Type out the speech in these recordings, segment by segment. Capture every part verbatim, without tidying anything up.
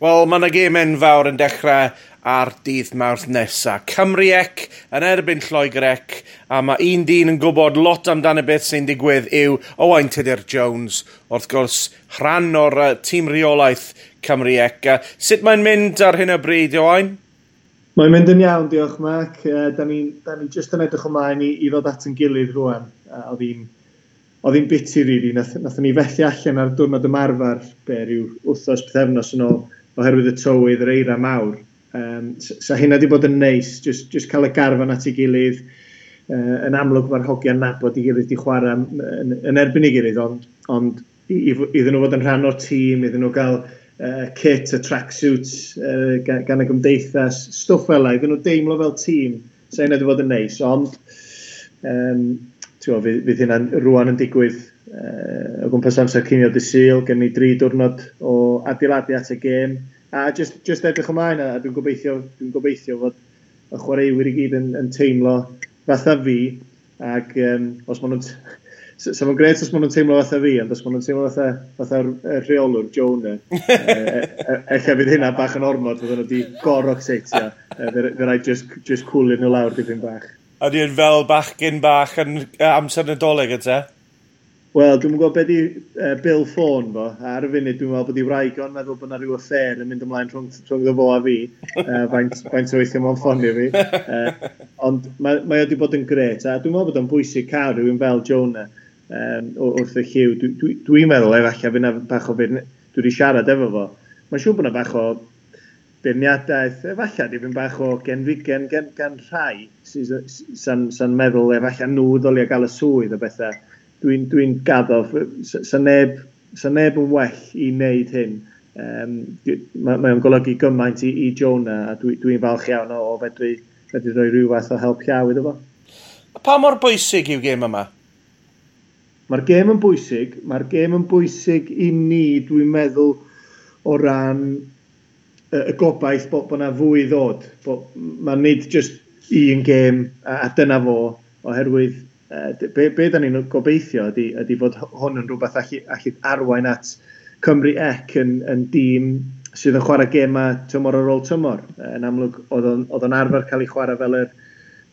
Wel, mae yna gêm enfawr yn dechrau ar dydd Mawrth nesa. Cymru C yn erbyn Lloegr C, a mae un dyn yn gwybod lot amdano beth sy'n digwydd yw Owain Tudur Jones, wrth gwrs, rhan o'r uh, tîm reolaeth Cymru C. Sut mae'n mynd ar hyn o bryd, Owain? Mae'n mynd yn iawn, diolch Mark. Uh, da ni, da ni just yn edrych ymlaen i, i ddod at yn gilydd rwan. Uh, oedd hi'n oedd hi'n biti, really. Nath, nathon ni fethu allan ar diwrnod ymarfer, be, rhyw wythnos, pythefnos yn ôl, oherwydd y tywydd, yr eira mawr. Um, sa hynna wedi bod yn neis, just, just cael y garfan at ei gilydd. Uh, yn amlwg mae'r hogiau'n nabod ei gilydd, di chwarae yn, yn erbyn ei gilydd, ond, ond iddyn nhw fod yn rhan o'r tîm, iddyn nhw gael uh, kit, y tracksuits uh, gan, gan y gymdeithas, stwff fel 'na, iddyn nhw deimlo fel tîm, sa hynna wedi bod yn neis, ond um, ti'n fydd, fydd hynna'n rwan yn digwydd uh, o gwmpas amser cinio dydd Sul, gen ni dri diwrnod o adeiladu at y gêm, a just, just edrych ymlaen, a dwi'n gobeithio, dwi'n gobeithio fod y chwaraewyr i gyd yn, yn teimlo fatha fi, ac um, os maen nhw'n... Sa fo'n grêt os maen nhw'n teimlo fatha fi, ond os maen nhw'n teimlo fatha, fatha'r rheolwr, Jonah, ella fydd hynna bach yn ormod, fydden nhw wedi gor-excitio. Fe rhaid just, just cwlio nhw lawr dipyn bach. Ydy yn fel bachgyn bach yn amser Nadolig, ydy? Wel, dwi'n gwybod beth di uh, bil ffôn fo. Ar y funud, dwi'n meddwl bod i wraig o'n meddwl bod yna rhyw affair yn mynd ymlaen rhwng, rhwng fo a fi. Uh, faint, faint o weithio mewn ffonio fi. Uh, ond mae, mae o wedi bod yn grêt. A dwi'n meddwl bod o'n bwysig cael rhywun fel Jonah um, wrth y llyw. Dwi'n dwi, dwi meddwl efallai fydd yna bach o feirn... Dwi wedi siarad efo fo. Mae'n siŵr bod yna bach o beirniadaeth, efallai dipyn bach o genfigen gan, gan rhai sy'n sa'n sa meddwl efallai nhw ddylia gael y swydd o bethau. Dwi'n dwi gaddo, sa neb, sa neb yn well i wneud hyn. Um, mae, mae o'n golygu gymaint i, i Jonah, a dwi'n dwi falch iawn o, o fedru, fedru rhoi rhyw fath o help llaw iddo fo. Pa mor bwysig yw gêm yma? Mae'r gêm yn bwysig. Mae'r gêm yn bwysig i ni, dwi'n meddwl, o ran y, y gobaith bod, bod yna fwy ddod. Bod, mae nid just un gêm a, a dyna fo, oherwydd be, be da ni'n gobeithio ydy, ydy fod hwn yn rhywbeth allu, allu arwain at Cymru C yn, yn dîm sydd yn chwarae gemau tymor ar ôl tymor. Yn amlwg, oedd o'n arfer cael ei chwarae fel yr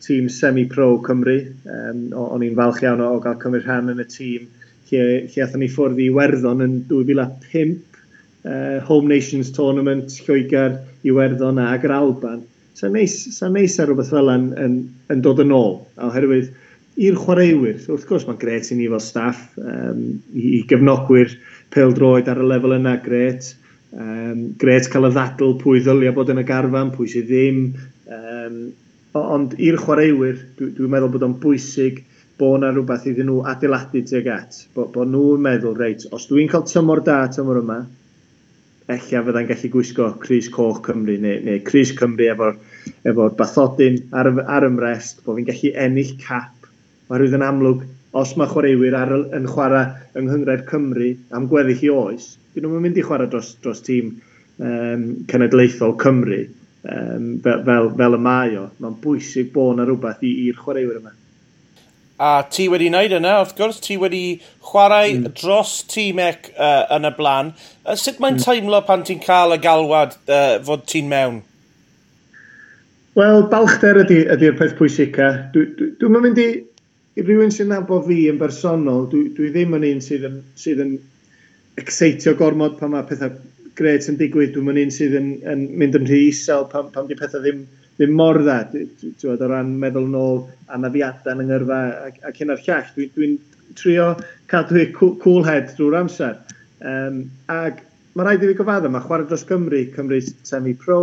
tîm semi-pro Cymru. Um, o'n i'n falch iawn o, o gael cymryd rhan yn y tîm lle, lle aethon ni ffwrdd i Iwerddon yn dwy fil a pump, uh, Home Nations Tournament, Lloegr, Iwerddon ag yr Alban. Sa'n neis, sa neis ar rhywbeth fel yn, yn, yn dod yn ôl, oherwydd i'r chwaraewyr, wrth gwrs mae'n grêt i ni fel staff, um, i, i gefnogwyr pêl-droed ar y lefel yna, grêt. Um, grêt cael y ddadl pwy ddylia bod yn y garfan, pwy sydd ddim. Um, ond i'r chwaraewyr, dwi'n dwi meddwl bod o'n bwysig bod yna rhywbeth iddyn nhw adeiladu tuag at. Bod, bod nhw'n meddwl, reit, os dwi'n cael tymor da tymor yma, ella fyddai'n gallu gwisgo crys coch Cymru neu, neu crys Cymru efo'r efo bathodyn ar, ar y mrest, bod fi'n gallu ennill cap. Oherwydd yn amlwg, os mae chwaraewyr ar, yn chwarae yng Nghynghrair Cymru am gweddill i oes, dyn nhw'n mynd i chwarae dros, dros tîm um, cenedlaethol Cymru um, fel, fel, fel y mae o. Mae'n bwysig bod yna rhywbeth i'r chwaraewyr yma. A ti wedi wneud yna, wrth gwrs, ti wedi chwarae mm. dros tîm C uh, yn y blaen. Uh, sut mae'n mm. teimlo pan ti'n cael y galwad uh, fod ti'n mewn? Wel, balchder ydy'r ydy, ydy peth pwysica. Dwi'n dwi, dwi mynd i... I rywun sy'n nabod fi yn bersonol, dwi, dwi ddim yn un sydd yn, sydd yn excitio gormod pan mae pethau grêt yn digwydd. Dwi'n yn un sydd yn, yn mynd yn rhy isel pan, pan di pethau ddim, ddim mor dda. Dwi, o ran meddwl nôl anafiadau yn ngyrfa ac, ac hyn a'r llall. Dwi'n dwi trio cadw cool head drwy'r amser. Um, ac mae rhaid i fi gyfadda, mae chwarae dros Cymru, Cymru semi-pro,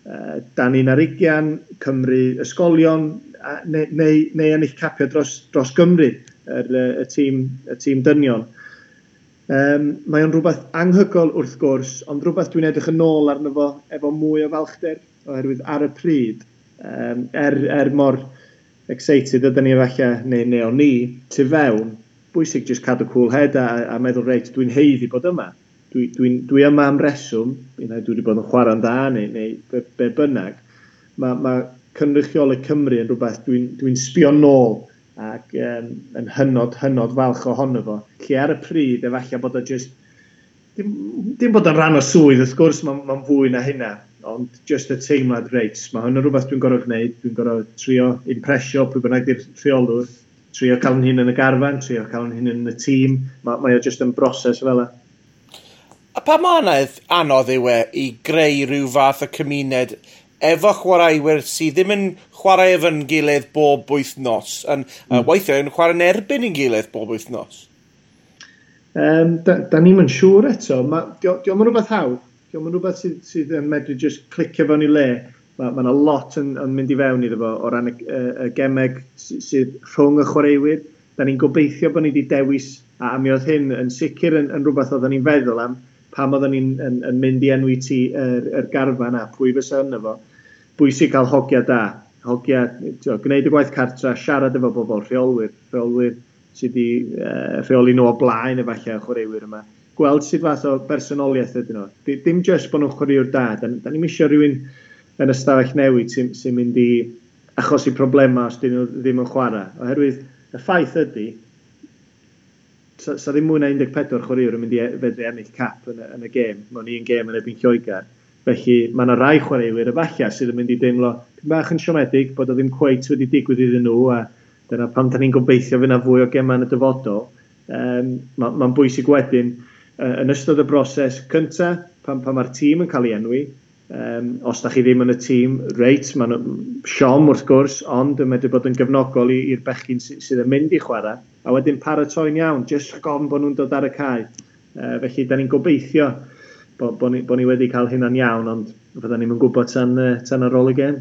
uh, dan un ar ugian, Cymru ysgolion, a, neu, neu, neu ennill capio dros, dros Gymru, yr, y, tîm, y tîm dynion. Um, mae o'n rhywbeth anhygoel wrth gwrs, ond rhywbeth dwi'n edrych yn ôl arno fo efo mwy o falchder, oherwydd ar y pryd, um, er, er mor excited ydyn ni efallai, neu, neu o'n ni, tu fewn, bwysig just cadw cool head a, a meddwl, reit, dwi'n haeddu bod yma. Dwi, dwi, dwi yma am reswm, dwi wedi bod yn chwarae'n dda, neu, neu be, be bynnag. Mae ma cynrychioli Cymru yn rhywbeth dwi'n dwi sbio nôl ac um, yn hynod, hynod falch ohono fo. Lle ar y pryd, efallai bod o just Dim, dim bod yn rhan o swydd, wrth gwrs, mae'n ma fwy na hynna, ond just y teimlad, reit, mae hwn yn rhywbeth dwi'n gorfod gwneud, dwi'n gorfod trio impresio pwy bynnag di'r rheolwr, trio cael yn hun yn y garfan, trio cael yn hun yn y tîm, mae, mae o just yn broses fel 'na. A pa mor anodd, anodd yw e i greu rhyw fath o cymuned efo chwaraewyr sydd ddim yn chwarae efo'n gilydd bob wythnos, yn, mm. uh, weithiau yn chwarae'n erbyn ein gilydd bob wythnos? Um, da, da ni'm yn siŵr eto. Ma, di, di o'm yn rhywbeth hawdd. Di o'm yn rhywbeth sydd, sydd yn medru just clicio fewn i le. Mae ma 'na lot yn, yn mynd i fewn iddo fo o ran y, y, y gemeg sydd, sydd rhwng y chwaraewyr. Da ni'n gobeithio bod ni wedi dewis, a, a mi oedd hyn yn sicr yn, yn rhywbeth oedden ni'n feddwl am pam oedden ni'n yn, yn mynd i enwi ti yr, yr garfan a pwy fysa yno fo. Bwysig cael hogia da. Hogia, tio, gwneud y gwaith cartra, siarad efo bobl, rheolwyr, rheolwyr sydd wedi uh, rheoli nhw o blaen efallai y chwaraewyr yma. Gweld sut fath o bersonoliaeth ydyn nhw. Dim just bod nhw'n chwaraewr da. Da, da ni'm eisiau rhywun yn ystafell newid sy'n sy mynd i achosi problemau os dyn nhw ddim yn chwarae. Oherwydd y ffaith ydy, sa, sa ddim mwy na un deg pedwar chwaraewr yn mynd i e, fedru ennill cap yn y, yn y gêm, mewn un gêm yn erbyn Lloegr. Felly mae yna rai chwaraewyr efallai sydd yn mynd i deimlo bach yn siomedig bod o ddim cweit wedi digwydd iddyn nhw, a dyna pam da ni'n gobeithio fydd yna fwy o gemau yn y dyfodol. Um, Mae'n ma bwysig wedyn uh, yn ystod y broses cyntaf, pan, pan mae'r tîm yn cael ei enwi, um, os da chi ddim yn y tîm, reit, mae'n siom wrth gwrs, ond yn medru bod yn gefnogol i'r bechgyn sydd, sydd yn mynd i chwarae, a wedyn paratoi'n iawn, jyst rhag ofn bod nhw'n dod ar y cae. Uh, felly, da ni'n gobeithio bod bo ni, bo ni wedi cael hynna'n iawn, ond fydda ni'n gwybod tan, tan ar ôl y gêm.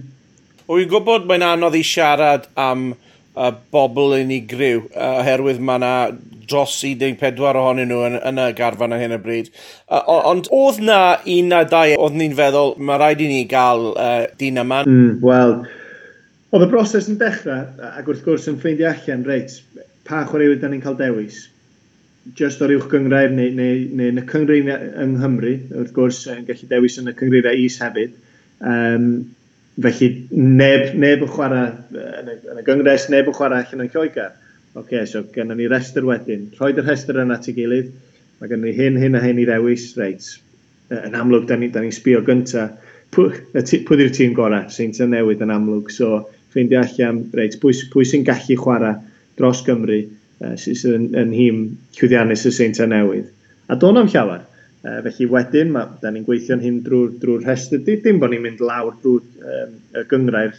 Wy'n gwybod mae'n anodd i siarad am uh, bobl unigryw, uh, oherwydd mae yna dros un deg pedwar ohonyn nhw yn, yn y garfan ar hyn o bryd. Uh, ond oedd na un na dau oedd ni'n feddwl, mae rhaid i ni gael uh, dyn yma? Mm, Wel, oedd y broses yn dechrau, ac wrth gwrs yn ffeindio allan, reit, pa chwaraewyr da ni'n cael dewis? Just o'r uwch gynghrair neu, neu, neu yn y cynghrair yng Nghymru, wrth gwrs, yn gallu dewis yn y cynghreiriau is hefyd. Um, felly neb, neb yn chwarae yn y, yn y gyngres, neb yn chwarae allan yn Lloegr. Oce, okay, so gennym ni restr wedyn. Rhoid y rhestr yna at ei gilydd. Mae gennym ni hyn, hyn a hyn i ddewis. Reit, yn amlwg, da ni'n ni sbio gynta. Pwy, pwy yw'r tîm gorau? Seintiau Newydd yn amlwg. So, ffeindio allan, reit, pwy, pwy sy'n gallu chwarae dros Gymru, uh, sydd yn, yn nhîm llwyddiannus y Seintiau Newydd. A do'n am llawer. Uh, felly wedyn, ma, da ni'n gweithio'n hyn drwy'r drwy rhestr. Dim bod ni'n mynd lawr drwy'r um, y gynghrair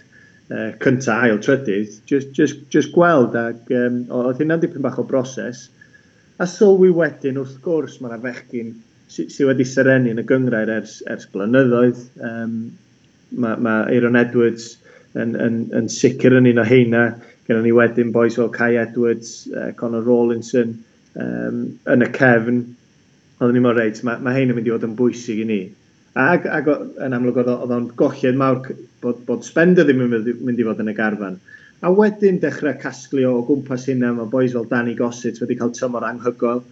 uh, cynta, ail, trydydd. Just, just, just gweld, ac um, oedd hynna'n dipyn bach o broses. A sylwi wedyn, wrth gwrs, mae yna fechgyn sydd sy wedi serenu yn y gynghrair ers, ers blynyddoedd. Um, mae ma Aeron Edwards yn, yn, yn sicr yn un o heina. Gyda ni wedyn boys fel Kai Edwards, uh, Connor Rawlinson um, yn y cefn. Oedden ni'n meddwl, reit, mae, mae hein yn mynd i fod yn bwysig i ni. Ac, ac yn amlwg oedd o'n golled mawr bod, bod Spender ddim yn mynd i fod yn y garfan. A wedyn dechrau casglu o gwmpas hynna, mae boys fel Danny Gossett wedi cael tymor anhygoel.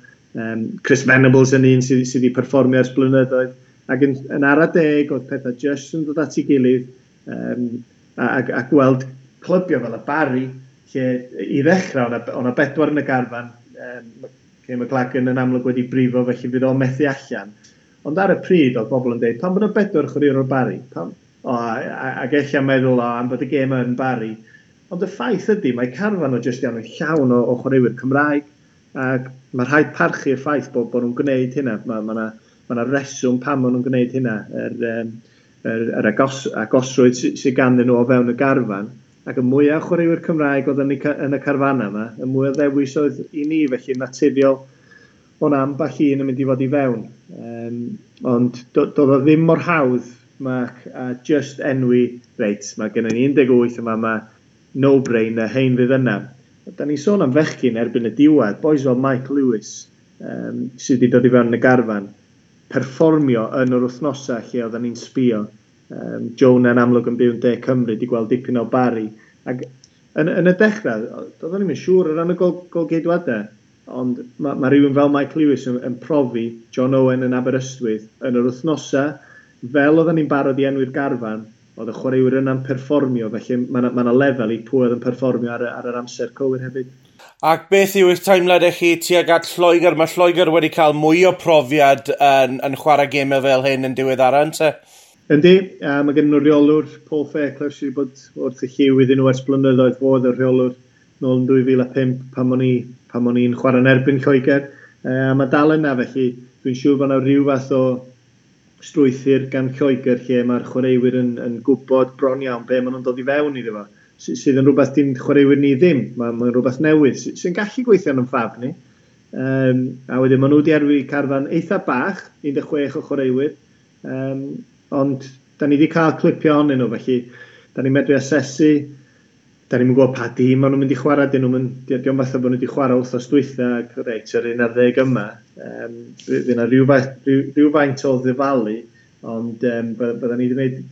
Um, Chris Venables yn un sydd, sydd wedi perfformio ers blynyddoedd. Ac yn, yn ara deg, oedd pethau just yn dod at ei gilydd um, a, a, a gweld clybio fel y Barry, lle i ddechrau o'na bedwar yn y garfan, um, Kayne McLaggon yn amlwg wedi brifo, felly fydd o'n methu allan. Ond ar y pryd, oedd bobl yn dweud, "Pam bod yna bedwar chwaraewr o'r Barry? Pam?" O, a, ac eich meddwl, o, am bod y gêm yn Barry. Ond y ffaith ydy, mae carfan o jyst iawn yn llawn o, o chwaraewyr Cymraeg, ac mae rhaid parchu y ffaith bod, bod nhw'n gwneud hynna. Mae ma, ma, ma 'na reswm pam maen nhw'n gwneud hynna. Yr, um, yr, yr agos, agosrwydd sydd sy ganddyn nhw o fewn y garfan. Ac y mwyaf chwaraewyr Cymraeg oedd yn y, yn y carfan yma, y mwy o ddewis oedd i ni, felly naturiol o'n ambell un yn mynd i fod i fewn. Um, ond doedd o ddim mor hawdd, Mark, a just enwi, reit, mae gennym ni un deg wyth yma, mae no-brainer, hein fydd yna. Da ni'n sôn am fechgyn erbyn y diwedd, boys fel Mike Lewis, um, sydd wedi dod i fewn yn y garfan, perfformio yn yr wythnosau lle oedden ni'n sbio. Um, Jonah yn amlwg yn byw yn De Cymru, di gweld dipyn o Barry. Ac yn, yn y dechrau, doeddwn ni'n siŵr o ran y gol, golgeidwadau, ond mae ma rhywun fel Mike Lewis yn, yn profi, John Owen yn Aberystwyth, yn yr wythnosau, fel oedden ni'n barod i enwi'r garfan, oedd y chwaraewyr yna'n perfformio, felly mae yna ma lefel i pwy oedd yn perfformio ar, ar yr amser cywir hefyd. Ac beth yw eich teimlad chi tuag at Lloegr? Mae Lloegr wedi cael mwy o profiad yn, yn chwarae gemau fel hyn yn diweddara, ynte? Yndi, a mae gen nhw reolwr, Paul Fairclough, sydd wedi bod wrth y llyw iddyn nhw ers blynyddoedd. Fod y rheolwr nôl yn dwy fil a phump pan o'n i, pan o'n i'n chwarae'n erbyn Lloegr. A mae dal yna, felly dwi'n siŵr bod yna rhyw fath o strwythur gan Lloegr lle mae'r chwaraewyr yn, yn gwybod bron iawn be maen nhw'n dod i fewn iddo fo, sydd yn rhywbeth di'n chwaraewyr ni ddim. Mae'n mae rhywbeth newydd sy'n gallu gweithio yn ffafr ni. Um, a wedyn maen nhw wedi enwi carfan eitha bach, un deg chwech o chwaraewyr, um, ond da ni wedi cael clipio ohonyn nhw, felly da ni'n medru asesu, da ni'n gwybod pa dîm maen nhw'n mynd i chwarae, dyn nhw'n mynd, diolch fatha bod nhw wedi chwarae wythnos dwytha, ac reit, yr un ar ddeg yma, um, fydd yna rhywfaint, rhywfaint o ddifalu, ond um, bydda ni wedi gwneud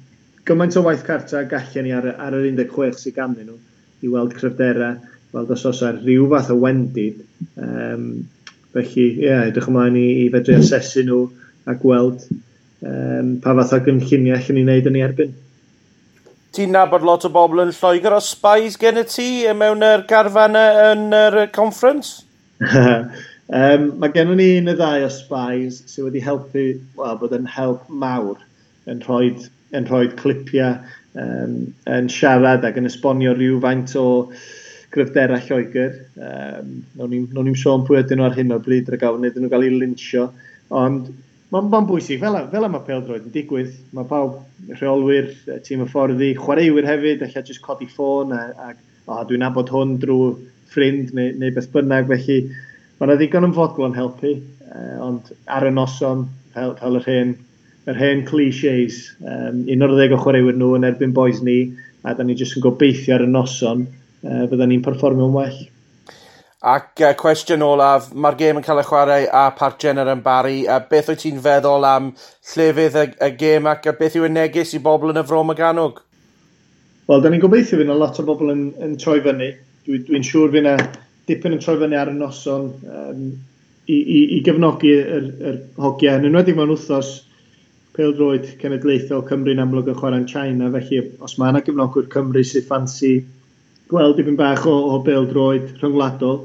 gymaint o waith cartra gallen ni ar, ar yr un deg chwech sydd ganddyn nhw i weld cryfderau, weld os oes ar rhyw fath o wendid. Um, felly, ie, yeah, edrych ymlaen i, i fedru asesu nhw a gweld um, pa fath o gynlluniau allan ni wneud yn ei erbyn. Ti'n nabod lot o bobl yn Lloegr, oes spies gen i ti mewn yr garfan yn yr conference? um, mae gennym ni un neu ddau o spies sydd wedi helpu, wel, bod yn help mawr yn rhoi yn rhoi clipiau, um, yn siarad ac yn esbonio rhywfaint o gryfderau Lloegr. Um, Nawn ni'n sôn pwy ydyn nhw ar hyn o bryd rhag ofn iddyn nhw gael eu linsio. Ond mae'n ma bwysig, fel, fel mae pêl-droed yn digwydd, mae pawb, rheolwyr, tîm hyfforddi, chwaraewyr hefyd, alla jyst codi ffôn a, a o, dwi'n nabod hwn drwy ffrind neu, neu beth bynnag, felly mae yna ddigon yn fodlon helpu, uh, ond ar y noson, fel, fel yr hen yr hen clichés, um, un o'r ddeg o chwaraewyr nhw yn erbyn boys ni, a da ni jyst yn gobeithio ar y noson, uh, fydda ni'n perfformio'n well. Ac uh, cwestiwn olaf, mae'r gêm yn cael ei chwarae a Parc Jenner yn Barry. Uh, beth wyt ti'n feddwl am llefydd y, y gêm ac beth yw y neges i bobl yn y Fro Morgannwg? Wel, da ni'n gobeithio fydd yna lot o bobl yn, yn troi fyny. Dwi'n dwi siŵr fydd yna dipyn yn troi fyny ar y noson um, i, i, i gefnogi yr, yr hogiau. Yn enwedig mewn wythnos pêl-droed cenedlaethol, Cymru'n amlwg yn chwarae'n China, felly os mae yna gefnogwyr Cymru sydd ffansi gweld dipyn bach o, o bêl-droed rhyngwladol,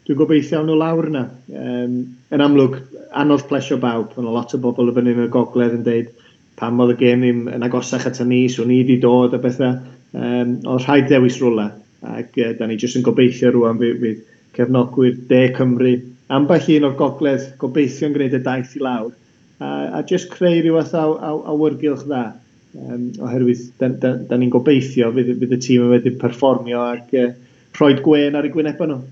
dwi'n gobeithio awn nhw lawr yna. Um, yn amlwg, anodd plesio bawb. Mae lot o bobl y fyny yn y gogledd yn deud pam oedd y gêm ddim yn agosach at ni, so ni wedi dod a bethau. Um, oedd rhaid dewis rwla, ac uh, da ni jyst yn gobeithio rwan fydd, fydd cefnogwyr De Cymru, ambell un o'r gogledd, gobeithio'n gwneud y daith i lawr, a, a just creu rhyw fath o awyrgylch dda. Um, oherwydd da, da, da ni'n gobeithio fydd, fydd y tîm yn wedi perfformio ac uh, rhoi gwên ar eu gwynebau nhw.